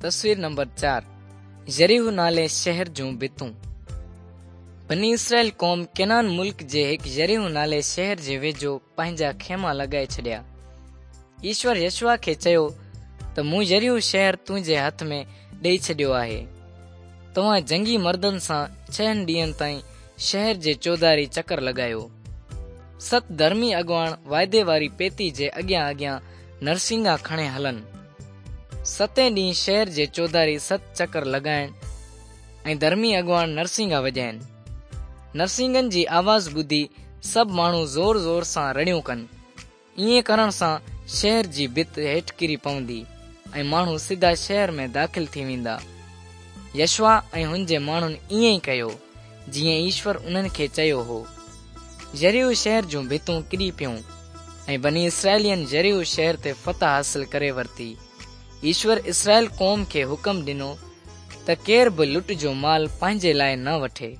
تصوير نمبر 4 يريحو نالي شهر جون ڀتون. بني اسرائيل قوم ڪنعان ملڪ جي هڪ يريحو نالي شهر جي ويجهو پنهنجا خيما لڳائي ڇڏيا. ايشور يشوع کي چيو ته مون يريحو شهر تنهنجي هٿ ۾ ڏئي ڇڏيو آهي. توهان جنگي مردن سان ڇهن ڏينهن تائين شهر جي چوڌاري چڪر لڳايو. ست ڌرمي اڳواڻ واعدي واري پيتي جي اڳيان اڳيان نرسنگا کڻي هلن. ستين ڏينهن شهر جي چوڌاري ست چڪر لڳائين ۽ ڌرمي اڳواڻ نرسنگا وڄائين. نرسنگن جي آواز ٻڌي سڀ ماڻهو زور زور سان رڙيون ڪن. ائين ڪرڻ سان شهر جي ڀت هيٺ ڪري پوندي ۽ ماڻهو سڌا شهر ۾ داخل ٿي ويندا. يشوع ۽ هن جي ماڻهن ائين ئي ڪيو، جيئن ايشور انهن کي چيو هو. يريحو شهر جون ڀتون ڪري پيون ۽ بني اسرائيلين يريحو شهر تي فتح حاصل ڪري ورتي. ايشور اسرائيل قوم کي حڪم ڏنو ته ڪير به لٽ جو مال پنهنجي لاء نه وٺي.